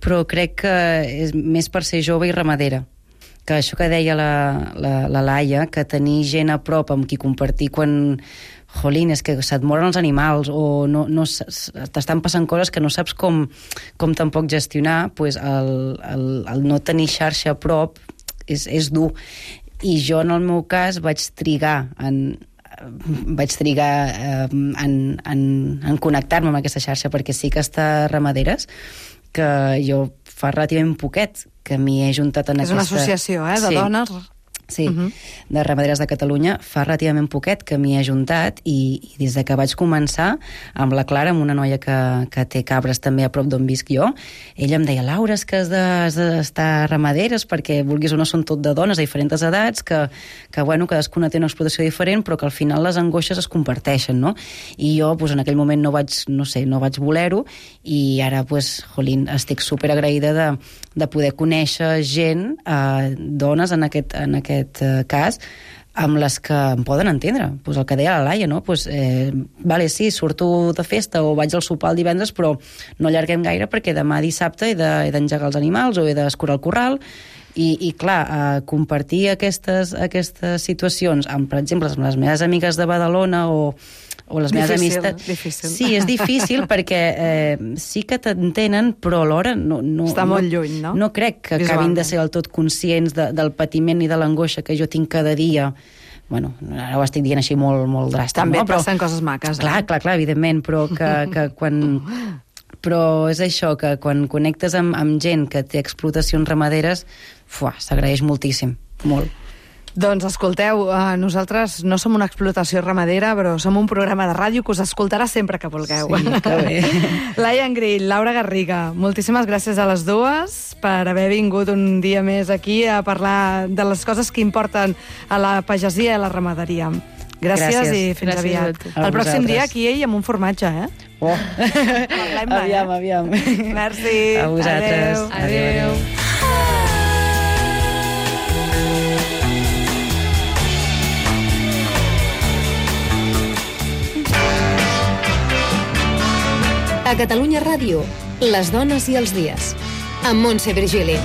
però crec que és més per ser jove i ramadera. Que això que deia la Laia, que tenir gent a prop amb qui compartir quan, jolín, és que se't moren els animals o no t'estan passant coses que no saps com tampoc gestionar, doncs el no tenir xarxa a prop és dur. I jo, en el meu cas, vaig trigar en connectar-me amb aquesta xarxa, perquè sí que està ramaderes, que jo fa relativament poquet que m'hi he juntat en aquesta... És una associació, de dones? Sí, de Ramaderes de Catalunya. Fa relativament poquet que m'hi he ajuntat i des de que vaig començar amb la Clara, amb una noia que té cabres també a prop d'on visc jo, ella em deia, Laura, és que has d'estar a Ramaderes perquè vulguis o no són tot de dones a diferents edats, que bueno, cadascuna té una explotació diferent, però que al final les angoixes es comparteixen, no? I jo en aquell moment no vaig voler-ho i ara, jolín, estic superagraïda de poder conèixer gent, dones en aquest cas, amb les que em poden entendre. El que deia la Laia, no? Vale, sí, surto de festa o vaig al sopar el divendres, però no allarguem gaire perquè demà dissabte he d'engegar els animals o he d'escurar el corral. I clar, compartir aquestes situacions amb, per exemple, amb les meves amigues de Badalona o les meves amistats... Difícil. Sí, és difícil perquè sí que t'entenen, però alhora no... Està molt lluny, no? No crec que acabin de ser del tot conscients del patiment i de l'angoixa que jo tinc cada dia. Bueno, ara ho estic dient així molt, molt dràstic. També no? passen coses maques. Clar, evidentment, però que quan... Però és això, que quan connectes amb gent que té explotacions ramaderes, s'agraeix moltíssim, molt. Doncs escolteu, nosaltres no som una explotació ramadera, però som un programa de ràdio que us escoltarà sempre que vulgueu. Sí, que bé. Laia Engrill, Laura Garriga, moltíssimes gràcies a les dues per haver vingut un dia més aquí a parlar de les coses que importen a la pagesia i a la ramaderia. Gràcies i fins aviat. El pròxim dia aquí ell amb un formatge, eh? Oh. Aviam. Merci. A vosaltres. Adéu. A Catalunya Ràdio, les dones i els dies. Amb Montse Virgili.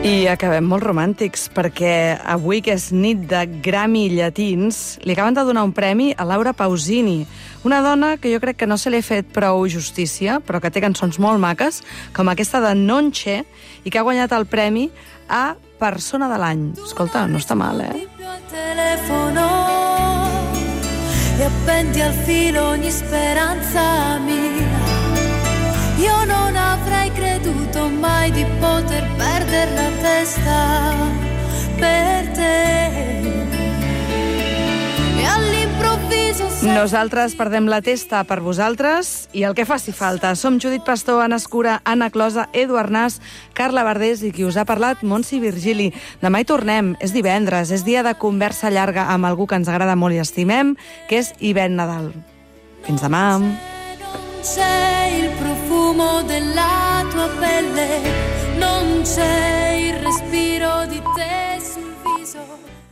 I acabem molt romàntics, perquè avui, que és nit de Grammy llatins, li acaben de donar un premi a Laura Pausini, una dona que jo crec que no se li ha fet prou justícia, però que té cançons molt maques, com aquesta de Nonche, i que ha guanyat el premi a Persona de l'any. Escolta, no està mal, eh? Telefono e appendi al filo ogni speranza mia. Io non avrei creduto mai di poter perdere la testa per te. E all'improvviso... Nosaltres perdem la testa per vosaltres i el que faci falta. Som Judit Pastor, Anna Escura, Anna Closa, Edu Arnàs, Carla Verdés i qui us ha parlat, Montse Virgili. Demà hi tornem, és divendres, és dia de conversa llarga amb algú que ens agrada molt i estimem, que és Ivette Nadal. Fins demà. Sei il profumo della tua pelle